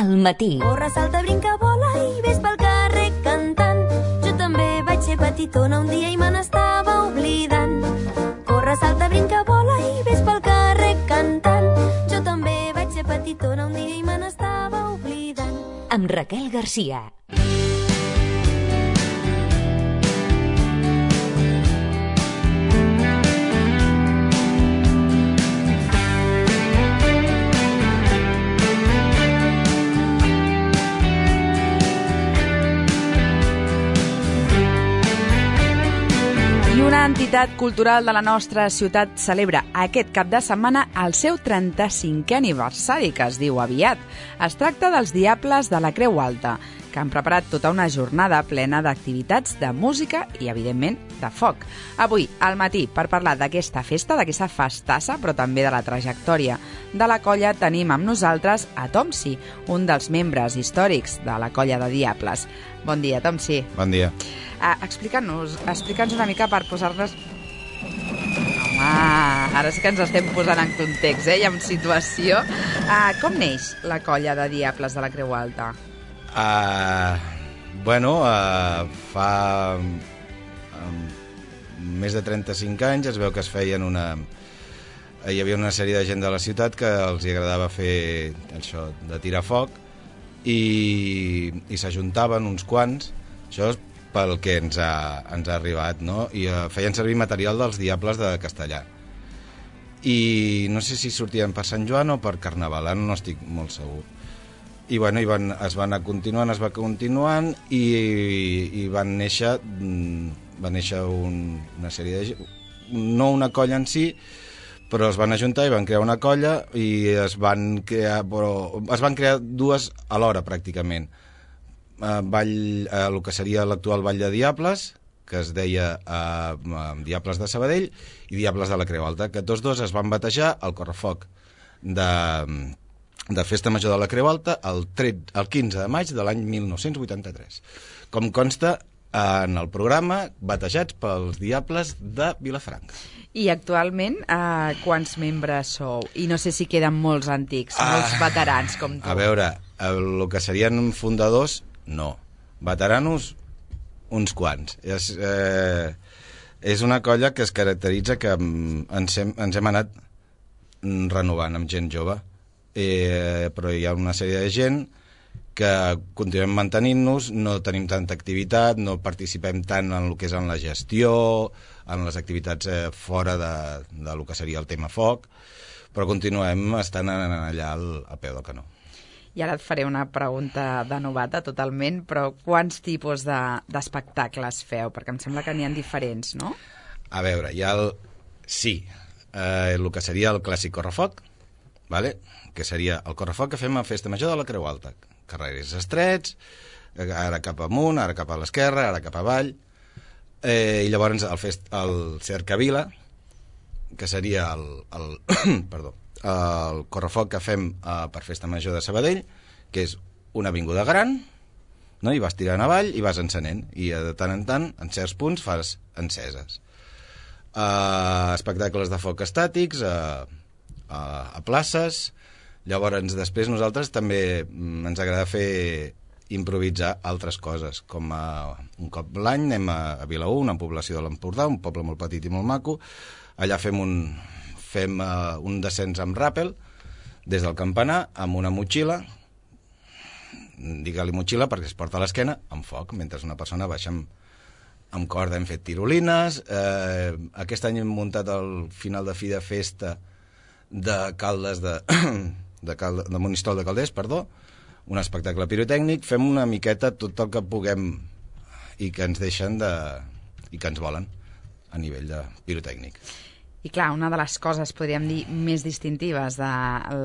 al matí. Corre, salta, brinca, vola i ves pel carrer cantant. Jo també vaig ser petitona un dia i me n'estava oblidant. Corre, salta, brinca, vola i ves pel carrer cantant. Jo també vaig ser petitona un dia i me n'estava oblidant. Amb Raquel Garcia. Una entitat cultural de la nostra ciutat celebra aquest cap de setmana el seu 35è aniversari, que es diu aviat. Es tracta dels Diables de la Creu Alta, que han preparat tota una jornada plena d'activitats de música i, evidentment, de foc. Avui, al matí, per parlar d'aquesta festa, d'aquesta festassa, però també de la trajectòria de la colla, tenim amb nosaltres a Tomsi, un dels membres històrics de la colla de Diables. Bon dia, Tomsi. Bon dia. Explica'ns una mica per posar-nos... Home, ara sí que ens estem posant en context, i en situació. Com neix la colla de Diables de la Creu Alta? Fa més de 35 anys es veu que es feien hi havia una sèrie de gent de la ciutat que els agradava fer això de tirar foc i s'ajuntaven uns quants, això és pel que ens ha arribat, no? I feien servir material dels Diables de Castellà. I no sé si sortien per Sant Joan o per Carnaval, no estic molt segur. I es va continuant i van néixer una sèrie de gent, no una colla en si, però es van ajuntar i van crear una colla i es van crear dues alhora pràcticament. El que seria l'actual Ball de Diables, que es deia Diables de Sabadell, i Diables de la Creu Alta, que tots dos es van batejar al correfoc de Festa Major de la Creu Alta el 15 de maig de l'any 1983. Com consta en el programa, batejats pels Diables de Vilafranca. I actualment, quants membres sou? I no sé si queden molts antics, molts veterans com tu. A veure, el que serien fundadors, no. Veteranos, uns quants. És una colla que es caracteritza que ens hem anat renovant amb gent jove. Però hi ha una sèrie de gent que continuem mantenint-nos, no tenim tanta activitat, no participem tant en el que és en la gestió, en les activitats fora de lo que seria el tema foc, però continuem estant allà a peu del canó. I ara et faré una pregunta de novata totalment, però quants tipus d'espectacles feu? Perquè em sembla que n'hi ha diferents, no? A veure, hi ha el que seria el clàssic correfoc, vale? Que seria el correfoc que fem a Festa Major de la Creu Alta. Carrers estrets, ara cap amunt, ara cap a l'esquerra, ara cap avall. I llavors el cercavila, que seria el correfoc que fem per Festa Major de Sabadell, que és una avinguda gran, no? I vas tirant avall i vas encenent, i de tant en tant, en certs punts, fas enceses. Espectacles de foc estàtics, a places. Llavors, després nosaltres també ens agrada fer improvisar altres coses, com un cop l'any anem a Vilaür, una població de l'Empordà, un poble molt petit i molt maco. Allà fem un descens amb ràpel des del campanar amb una motxilla, digue-li motxilla perquè es porta a l'esquena, amb foc, mentre una persona baixa amb corda. Hem fet tirolines, aquest any hem muntat al final de fi de festa de Caldes de Monistrol de Calders, un espectacle pirotècnic. Fem una miqueta tot el que puguem i que ens deixen i que ens volen a nivell de pirotècnic. I clar, una de les coses, podríem dir, més distintives de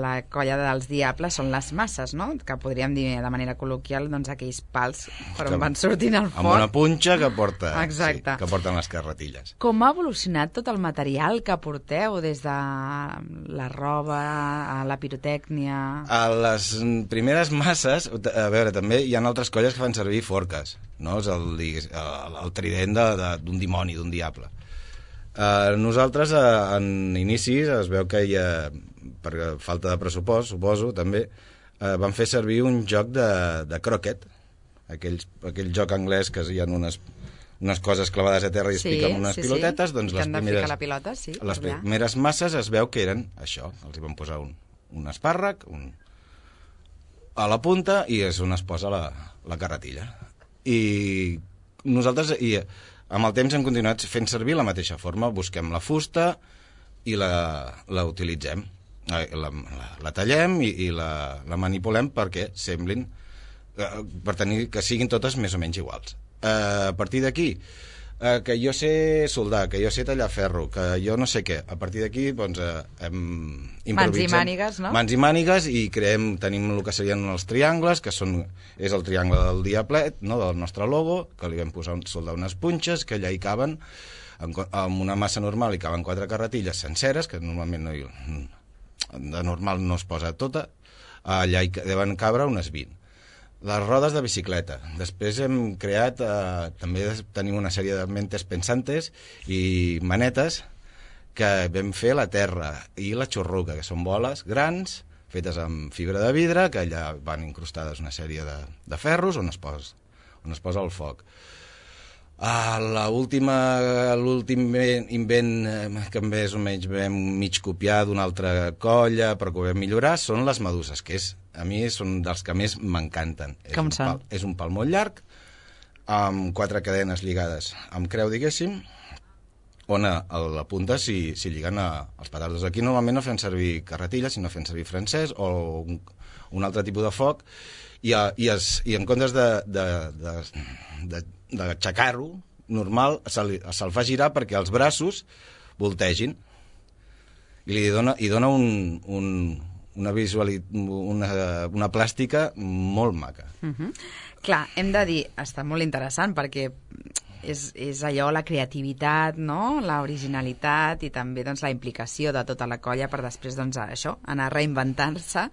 la colla dels Diables són les masses, no? Que podríem dir de manera col·loquial, doncs, aquells pals per on van sortint el foc. Amb una punxa que porta, exacte. Sí, que porten les carretilles. Com ha evolucionat tot el material que porteu, des de la roba a la pirotècnia? A les primeres masses, a veure, també hi ha altres colles que fan servir forques, no? És el trident d'un dimoni, d'un diable. Nosaltres, en inicis, es veu que hi ha, per falta de pressupost, suposo, també, van fer servir un joc de croquet, aquell joc anglès que hi ha unes coses clavades a terra i es piquen unes pilotetes, doncs les primeres masses es veu que eren això, els hi van posar un espàrrec a la punta i és on es posa la carretilla. I nosaltres amb el temps hem continuat fent servir la mateixa forma, busquem la fusta i la utilitzem, la tallem i la manipulem perquè semblin, per tenir que siguin totes més o menys iguals. A partir d'aquí, que jo sé soldar, que jo sé tallar ferro, que jo no sé què, a partir d'aquí doncs improvisem. Mans i mànigues, no? Mans i mànigues i tenim el que serien els triangles, que és el triangle del diablet, no, del nostre logo, que li vam soldar unes punxes, que allà hi caben, amb una massa normal hi caben 4 carretilles senceres, que normalment de normal no es posa tota, allà hi deuen cabre unes 20. Les rodes de bicicleta. Després hem creat, també tenim una sèrie de mentes pensantes i manetes que vam fer la terra i la xurruca, que són boles grans, fetes amb fibra de vidre, que allà van incrustades una sèrie de ferros on es posa el foc. L'últim invent que més o menys vam mig copiar d'una altra colla però que ho vam millorar són les meduses, que a mi són dels que més m'encanten. Com són? És un pal molt llarg amb 4 cadenes lligades amb creu, diguéssim, on a la punta s'hi lliguen els petardos. Aquí normalment no fem servir carretilles, sinó fem servir francès o un altre tipus de foc i en comptes d'aixecar-ho normal se'l fa girar perquè els braços voltegin i li dona una plàstica molt maca. Clar, hem de dir, està molt interessant perquè és allò, la creativitat, no? La originalitat i també doncs, la implicació de tota la colla per després doncs, això, anar reinventant-se,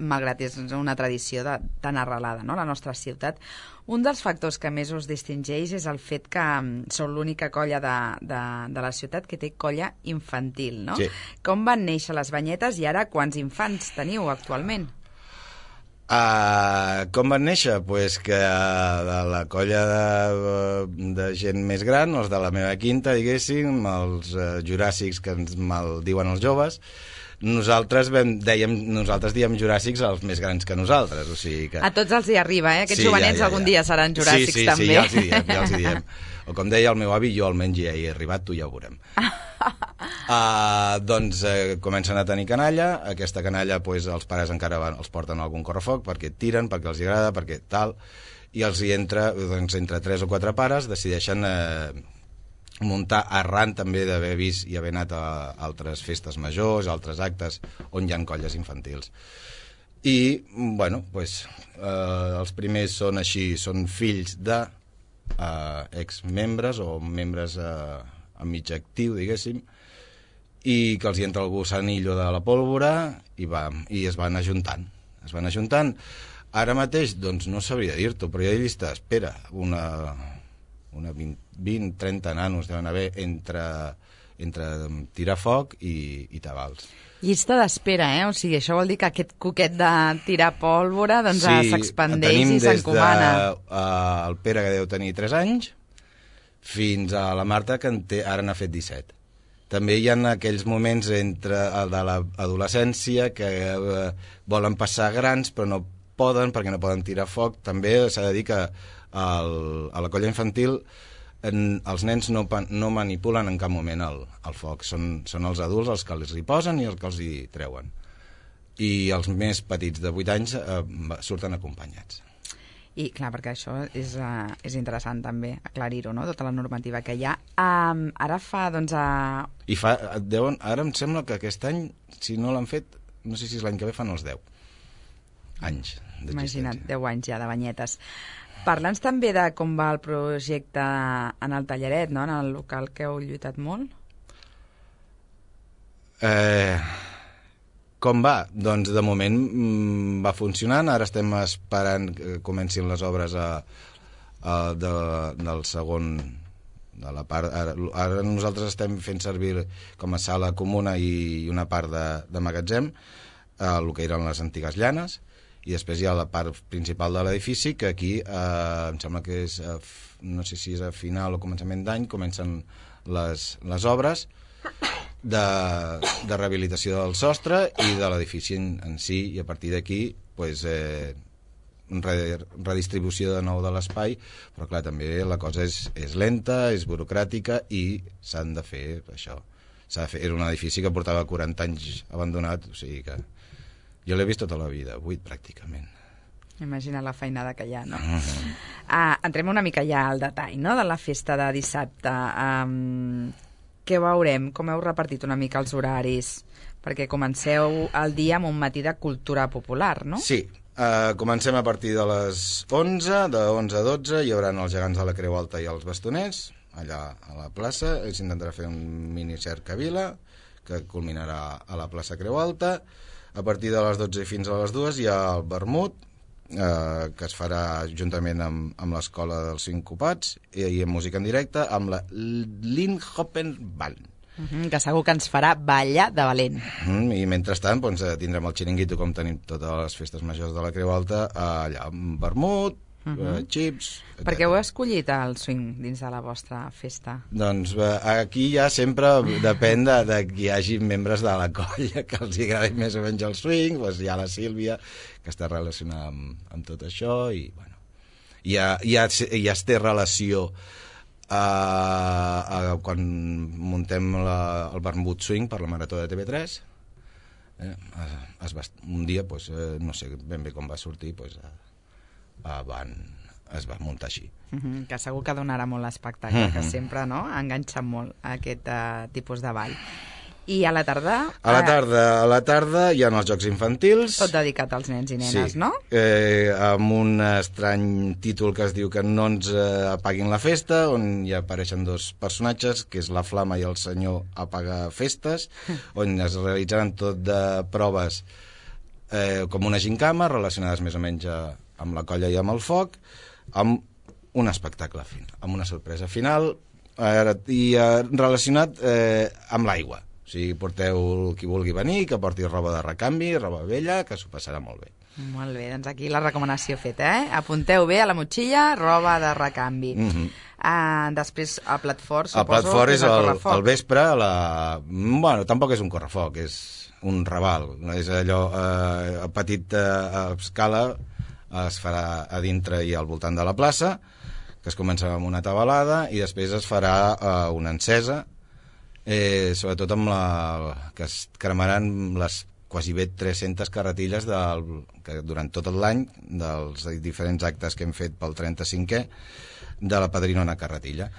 malgrat és una tradició tan arrelada, no? La nostra ciutat. Un dels factors que més us distingeix és el fet que sou l'única colla de la ciutat que té colla infantil, no? Sí. Com van néixer les banyetes i ara quants infants teniu actualment? Com van néixer? Pues que de la colla de gent més gran, els de la meva quinta, diguéssim, els juràssics que ens maldiuen els joves, nosaltres diem juràssics els més grans que nosaltres, o sigui que... A tots els hi arriba, Aquests jovenets algun dia seran juràssics també. Sí, ja els hi diem. O com deia el meu avi, jo almenys ja hi he arribat, tu ja ho veurem. Doncs comencen a tenir canalla. Aquesta canalla els pares encara els porten a algun correfoc perquè tiren, perquè els agrada, perquè tal, i els hi entra, entre 3 o 4 pares decideixen muntar, arran també d'haver vist i haver anat a altres festes majors, altres actes on hi ha colles infantils. I, bueno, els primers són així, són fills de exmembres o membres a mig actiu, diguéssim, i que els hi entra el gusanillo de la pólvora i es van ajuntant. Ara mateix, doncs no sabria dir-t'ho, però hi ha llista d'espera, una 20-30 nanos deuen haver entre tirar foc i tabals. Llista d'espera, O sigui, això vol dir que aquest coquet de tirar pólvora doncs s'expandeix i s'encomana. Tenim des del Pere, que deu tenir 3 anys, fins a la Marta, que ara n'ha fet 17. També hi ha aquells moments de l'adolescència que volen passar grans però no poden perquè no poden tirar foc. També s'ha de dir que a la colla infantil els nens no manipulen en cap moment el foc, són els adults els que els hi posen i els que els hi treuen, i els més petits de 8 anys surten acompanyats. I clar, perquè això és interessant també aclarir-ho, no? Tota la normativa que hi ha. Ara fa, doncs... Ara em sembla que aquest any, si no l'han fet, no sé si és l'any que ve, fan els 10 anys d'existència. Imagina't, 10 anys ja de banyetes. Parla'ns també de com va el projecte en el Tallaret, no? En el local que heu lluitat molt. Com va? Doncs de moment va funcionant. Ara estem esperant que comencin les obres del segon de la part. Ara nosaltres estem fent servir com a sala comuna i una part de magatzem el que eren les antigues llanes, i després hi ha la part principal de l'edifici, que aquí em sembla que és, no sé si és a final o començament d'any, comencen les obres de rehabilitació del sostre i de l'edifici en si, i a partir d'aquí pues, redistribució de nou de l'espai, però clar, també la cosa és lenta, és burocràtica i s'han de fer això. Era un edifici que portava 40 anys abandonat, o sigui que jo l'he vist tota la vida, 8 pràcticament. Imagina la feinada que hi ha, no? Entrem una mica ja al detall, no?, de la festa de dissabte. Què veurem? Com heu repartit una mica els horaris? Perquè comenceu el dia amb un matí de cultura popular, no? Sí, comencem a partir de les 11, de 11 a 12, hi haurà els gegants de la Creu Alta i els bastoners, allà a la plaça. S'intentarà fer un mini cercavila que culminarà a la plaça Creu Alta. A partir de les 12 fins a les 2 hi ha el vermut, que es farà juntament amb l'Escola dels Sincopats i amb música en directe, amb la Linhopen Band. Que segur que ens farà ballar de valent. I mentrestant doncs, tindrem el xiringuito, com tenim totes les festes majors de la Creu Alta, allà amb vermut, xips... Per què heu escollit el swing dins de la vostra festa? Doncs aquí ja sempre depèn de que hi hagi membres de la colla que els agradi més o menys el swing. Doncs hi ha la Sílvia, que està relacionada amb tot això, i bueno, ja es té relació quan muntem el vermut swing per la Marató de TV3. Un dia, no sé ben bé com va sortir, es va muntar així. Que segur que donarà molt l'espectacle, que sempre enganxa molt aquest tipus de ball. I a la tarda? A la tarda hi ha els jocs infantils. Tot dedicat als nens i nenes, sí. No? Amb un estrany títol que es diu que no ens apaguin la festa, on hi apareixen dos personatges, que és la Flama i el senyor Apaga Festes, on es realitzaran tot de proves com una gincama, relacionades més o menys amb la colla i amb el foc, amb un espectacle final, amb una sorpresa final, i relacionat amb l'aigua. O sigui, porteu qui vulgui venir, que porti roba de recanvi, roba vella, que s'ho passarà molt bé. Molt bé, doncs aquí la recomanació feta, Apunteu bé a la motxilla, roba de recanvi. Després, a plat fort, suposo... El plat fort és al vespre, bueno, tampoc és un correfoc, és un raval. És allò a petita escala, es farà a dintre i al voltant de la plaça, que es comença amb una tabalada, i després es farà una encesa, sobretot amb que es cremaran les quasi bé 300 carretilles que durant tot l'any, dels diferents actes que hem fet pel 35è, de la padrina una carretilla.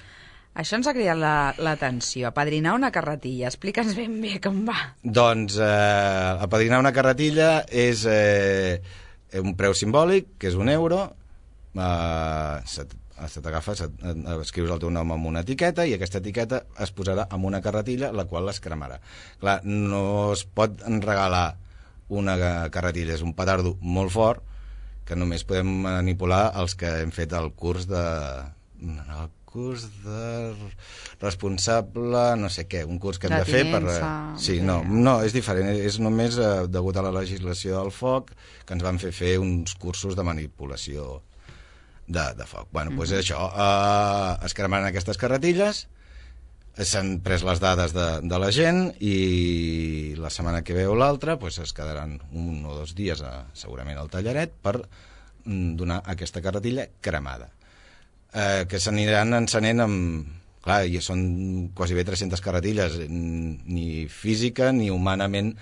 Això ens ha cridat l'atenció, apadrinar una carretilla. Explica'ns ben bé com va. Doncs apadrinar una carretilla és un preu simbòlic, que és €1. Escrius el teu nom amb una etiqueta, i aquesta etiqueta es posarà en una carretilla, la qual es cremarà. Clar, no es pot regalar una carretilla, és un petardo molt fort, que només podem manipular els que hem fet el curs de responsable, no sé què, un curs que hem de fer per... Sí, no, és diferent, és només degut a la legislació del foc, que ens van fer uns cursos de manipulació de foc. Bueno, doncs això, es cremaran aquestes carretilles, s'han pres les dades de la gent, i la setmana que ve o l'altra es quedaran 1 o 2 dies segurament al tallaret per donar aquesta carretilla cremada, que s'aniran encenent amb... Clar, i són quasi bé 300 carretilles, ni física ni humanament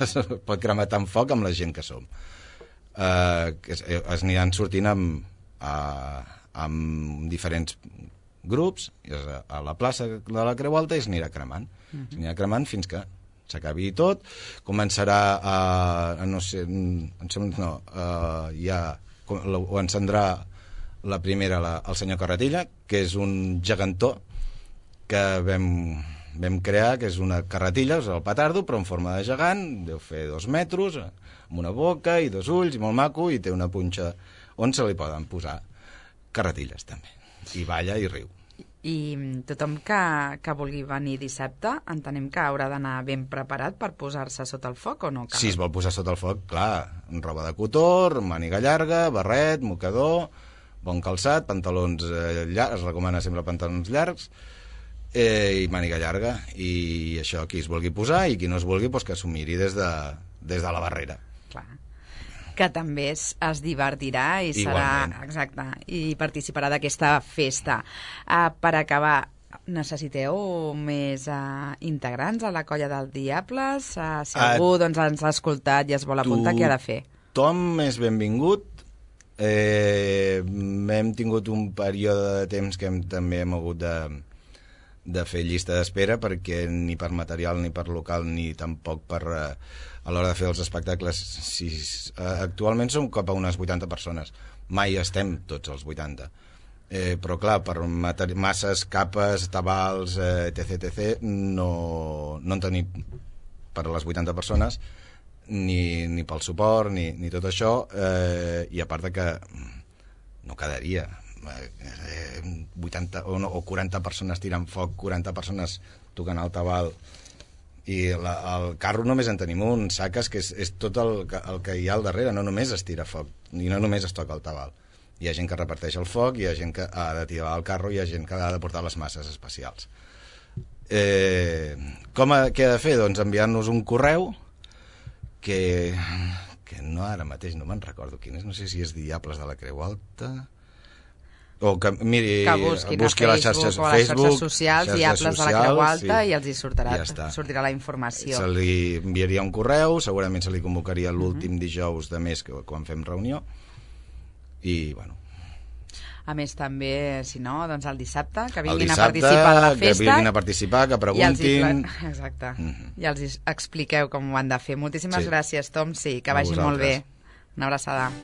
es pot cremar tant foc amb la gent que som. Es aniran sortint amb diferents grups a la plaça de la Creu Alta, i s'anirà cremant. S'anirà cremant fins que s'acabi tot. Començarà ho encendrà la primera el senyor Carretilla, que és un gegantó que vam crear, que és una carretilla, és el petardo, però en forma de gegant, deu fer 2 metres, amb una boca i 2 ulls, i molt maco, i té una punxa on se li poden posar carretilles també, i balla i riu. I tothom que vulgui venir dissabte, entenem que haurà d'anar ben preparat per posar-se sota el foc, o no cal? Si es vol posar sota el foc, clar, roba de cotó, màniga llarga, barret, mocador, bon calçat, pantalons llargs, es recomana sempre pantalons llargs, i màniga llarga, i això, qui es vulgui posar, i qui no es vulgui, doncs que s'ho miri des de la barrera. Clar. Que també es divertirà i Igualment. serà, exacte, i participarà d'aquesta festa. Per acabar, necessiteu més integrants a la colla del Diables? Si algú ens ha escoltat i es vol apuntar, què ha de fer? Tothom és benvingut. Hem tingut un període de temps que també hem hagut de fer llista d'espera, perquè ni per material, ni per local, ni tampoc per... a l'hora de fer els espectacles, actualment som cap a unes 80 persones. Mai estem tots els 80. Però clar, per masses, capes, tabals, etc., no en tenim per a les 80 persones, ni pel suport, ni tot això, i a part de que no quedaria 80 o 40 persones tirant foc, 40 persones tocant el tabal, i el carro només en tenim un, saques, que és tot el que hi ha al darrere, no només es tira foc, i no només es toca el tabal. Hi ha gent que reparteix el foc, hi ha gent que ha de tirar el carro, hi ha gent que ha de portar les masses especials. Què ha de fer? Doncs enviar-nos un correu que no ara mateix no me'n recordo quin és, no sé si és Diables de la Creu Alta... o que miri, que busqui a les xarxes o a les xarxes socials, Diables de la Creu Alta, sí, i els hi sortirà la informació. Se li enviaria un correu, segurament se li convocaria l'últim dijous de mes quan fem reunió, i bueno. A més, també, si no, doncs el dissabte, que vinguin a participar de la festa. Que vinguin a participar, que preguntin. Exacte. I els expliqueu com ho han de fer. Moltíssimes gràcies, Tom, sí, que vagi molt bé. Una abraçada.